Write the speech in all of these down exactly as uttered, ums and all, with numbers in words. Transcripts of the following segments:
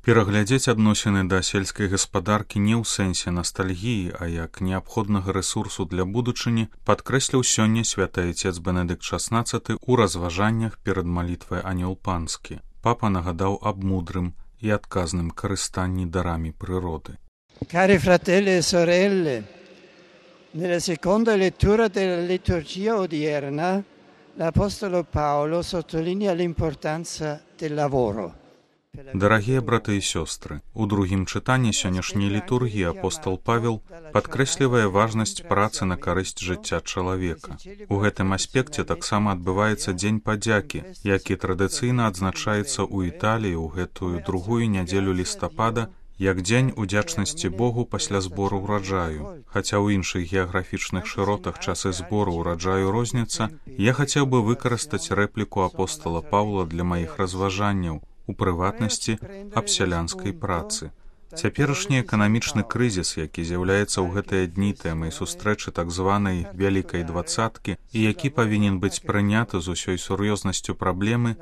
Пераглядзець адносіны да сельскай гаспадаркі не ў сэнсе настальгіі, а як неабходнага рэсурсу для будучыні падкрэсліў сёння святы айцец Бенедыкт шаснаццаты ў разважаннях перад малітвай Анёл Панскі. Папа нагадаў аб мудрым і адказным карыстанні дарамі прыроды. Cari fratelli e sorelle, nella seconda lettura della liturgia odierna, l'Apostolo Paolo sottolinea l'importanza del lavoro. Дарагія браты і сёстры, у другім чытанні сённяшняй літургіі апостол Павел падкрэслівае важнасць працы на карысць жыцця чалавека. У гэтым аспекце таксама адбываецца дзень падзякі, які традыцыйна адзначаецца ў Італіі ў гэтую другую нядзелю лістапада як дзень удзячнасці Богу пасля збору ўраджаю. Хаця ў іншых геаграфічных шыротах часы збору ўраджаю розніца, я хацеў бы выкарыстаць рэпліку апостола Паўла для маіх разважанняў, у прыватнасці аб сялянскай працы. Цяперашні эканамічны крызіс, які з'яўляецца ў гэтыя дні тэмай сустрэчы так званай вялікай дваццаткі і які павінен быць прыняты з усёй сур'ёзнасцю праблемы,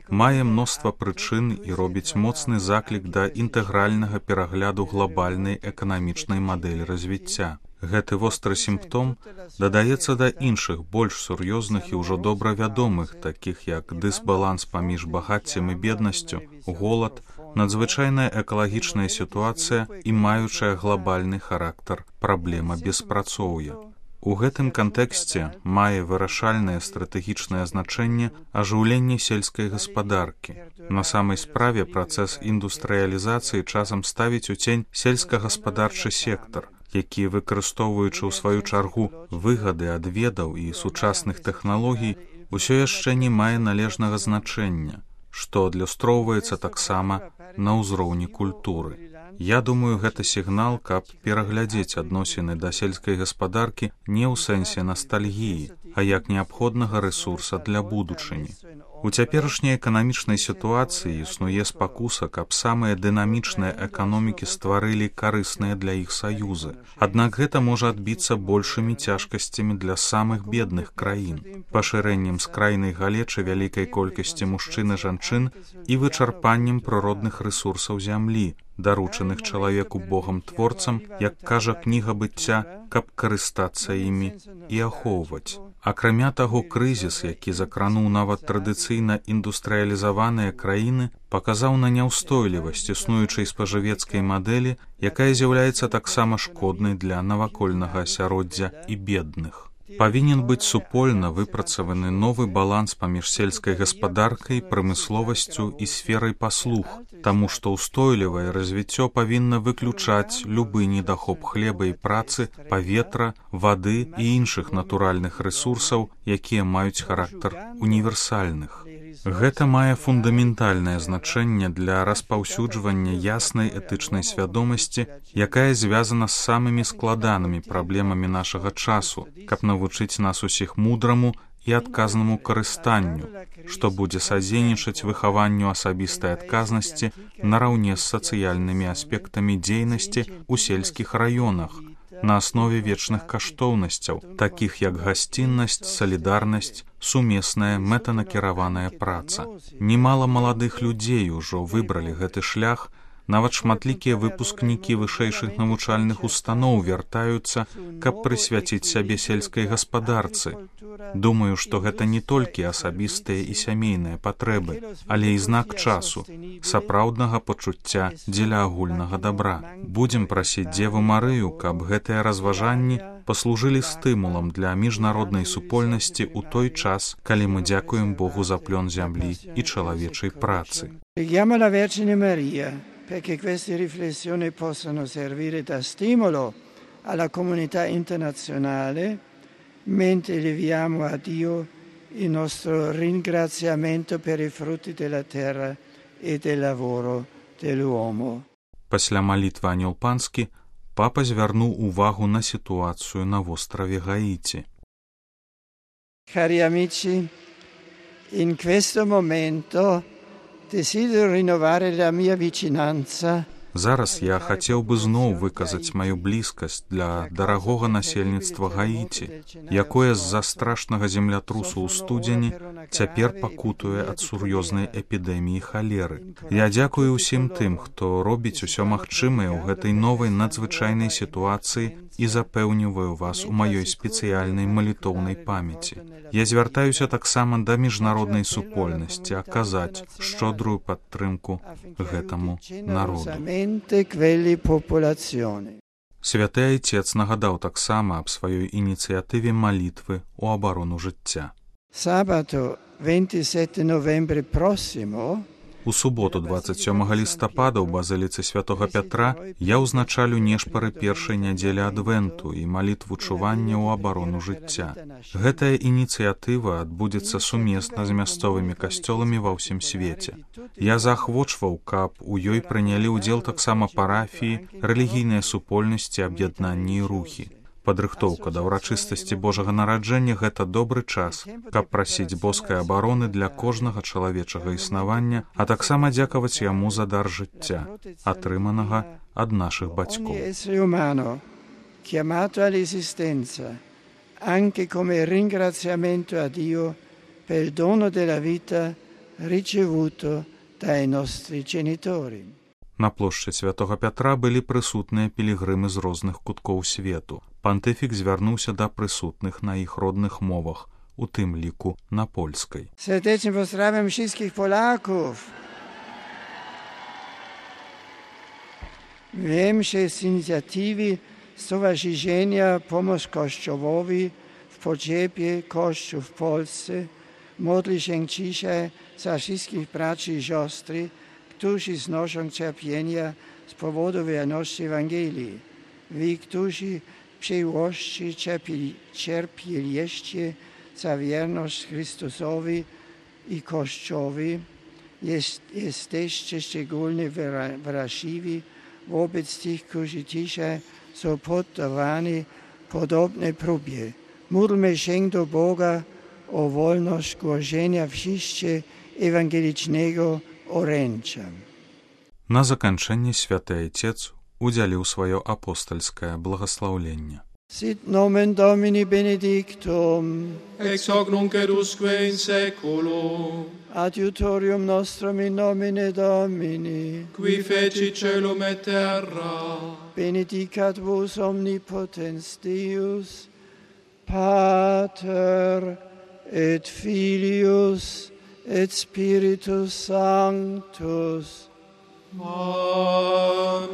мае мноства прычын і робіць моцны заклік да інтэгральнага перагляду глабальнай эканамічнай мадэлі развіцця. Гэты востры сімптом дадаецца да іншых, больш сур'ёзных і ўжо добра вядомых, такіх як дысбаланс паміж багаццем і беднасцю, голад, надзвычайная экалагічная сітуацыя і маючая глабальны характар праблема беспрацоўя. У гэтым кантэксце мае вырашальнае стратэгічнае значэнне ажыўленне сельскай гаспадаркі. На самай справе працэс індустрыялізацыі часам ставіць у цень сельскагаспадарчы сектар, які, выкарыстоўваючы ў сваю чаргу выгады ад ведаў і сучасных тэхналогій, усё яшчэ не мае належнага значэння, што адлюстроўваецца таксама на ўзроўні культуры. Я думаю, гэта сігнал, каб пераглядзець адносіны да сельскай гаспадаркі не ў сэнсе настальгіі, а як неабходнага рэсурса для будучыні. У цяперашняй эканамічнай сітуацыі існуе спакуса, каб самыя дынамічныя эканомікі стварылі карысныя для іх саюзы. Аднак гэта можа адбіцца большымі цяжкасцямі для самых бедных краін, пашырэннем скрайнай галечы вялікай колькасці мужчын і жанчын і вычарпаннем прыродных рэсурсаў зямлі, даручаных чалавеку Богам-творцам, як кажа кніга быцця, каб карыстацца імі і ахоўваць. Акрамя таго, крызіс, які закрануў нават традыцыйна індустрыялізаваныя краіны, паказаў на няўстойлівасць існуючай спажывецкай мадэлі, якая з'яўляецца таксама шкоднай для навакольнага асяроддзя і бедных. Павінен быць супольна выпрацаваны новы баланс паміж сельскай гаспадаркай, прамысловасцю і сферай паслуг, таму што ўстойлівае развіццё павінна выключаць любы недахоп хлеба і працы, паветра, вады і іншых натуральных рэсурсаў, якія маюць характар універсальных. Гэта мае фундаментальнае значэнне для распаўсюджвання яснай этычнай свядомасці, якая звязана з самымі складанымі праблемамі нашага часу, каб навучыць нас усіх мудраму і адказнаму карыстанню, што будзе садзейнічаць выхаванню асабістай адказнасці нараўне з сацыяльнымі аспектамі дзейнасці ў сельскіх раёнах, на аснове вечных каштоўнасцяў, такіх як гасціннасць, салідарнасць, сумесная мэтанакіраваная праца. Немала маладых людзей ужо выбралі гэты шлях, нават шматлікія выпускнікі вышэйшых навучальных устаноў вяртаюцца, каб прысвяціць сябе сельскай гаспадарцы. Думаю, што гэта не толькі асабістыя і сямейныя патрэбы, але і знак часу, сапраўднага пачуцця дзеля агульнага дабра. Будзем прасіць Дзеву Марыю, каб гэтыя разважанні паслужылі стымулам для міжнароднай супольнасці ў той час, калі мы дзякуем Богу за плён зямлі і чалавечай працы. Perché queste riflessioni possano servire da stimolo alla comunità internazionale, mentre leviamo a Dio il nostro ringraziamento per i frutti della terra e del lavoro dell'uomo. Пасля малітвы Анёл Панскі папа звярнуў увагу на сітуацыю на востраве Гаіці. Cari amici, in questo momento desidero rinnovare la mia vicinanza Зараз я хацеў бы зноў выказаць маю блізкасць для дарагога насельніцтва Гаіці, якое з-за страшнага землятрусу ў студзені цяпер пакутуе ад сур'ёзнай эпідэміі халеры. Я дзякую ўсім тым, хто робіць усё магчымае ў гэтай новай надзвычайнай сітуацыі і запэўніваю вас у маёй спецыяльнай малітоўнай памяці. Я звяртаюся таксама да міжнароднай супольнасці аказаць шчодрую падтрымку гэтаму народу. Святы Айцец нагадаў таксама аб сваёй ініцыятыве малітвы ў абарону жыцця. У суботу дваццаць сёмага лістапада ў базыліцы святога Пятра я ўзначалю нешпары першай нядзелі адвенту і малітву чування ў абарону жыцця. Гэтая ініцыятыва адбудзецца сумесна з мясцовымі касцёламі ва ўсім свеце. Я заахвочваў, каб у ёй прынялі ўдзел таксама парафіі, рэлігійныя супольнасці, аб'яднанні і рухі. Падрыхтоўка да ўрачыстасці Божага нараджэння – гэта добры час, каб прасіць боскай абароны для кожнага чалавечага існавання, а таксама дзякаваць яму за дар жыцця, атрыманага ад нашых бацькоў. Anche come ringraziamento a Dio per il dono della vita ricevuto dai nostri genitori. На плошчы святога Пятра былі прысутныя пілігрымы з розных куткоў свету. Пантыфік звярнуўся да прысутных на іх родных мовах, у тым ліку на польскай. Serdecznie pozdrawiam wszystkich Polaków. Wiem, że z inicjatywy Stowarzyszenia Pomoc Kościołowi w potrzebie Kościół w Polsce modli się dzisiaj za wszystkich braci i siostry, którzy znoszą cierpienia z powodu wierności Ewangelii. Wy, którzy przyjłości cierpieli, cierpieliście za wierność Chrystusowi i Kościołowi, jest, jesteście szczególnie wrażliwi wobec tych, którzy dzisiaj są poddawani podobnej próbie. Módlmy się do Boga o wolność głoszenia wieści ewangelicznego orędzia. На заканчэнне святы Айцец удзяліў сваё апостальскае благаслаўленне. Sit nomen Domini benedictum, ex hoc nunc et usque in saeculum, adiutorium nostrum in nomine Domini, qui feci celum et terra, benedicat vos omnipotens Deus, Pater et Filius et Spiritus Sanctus. Amen.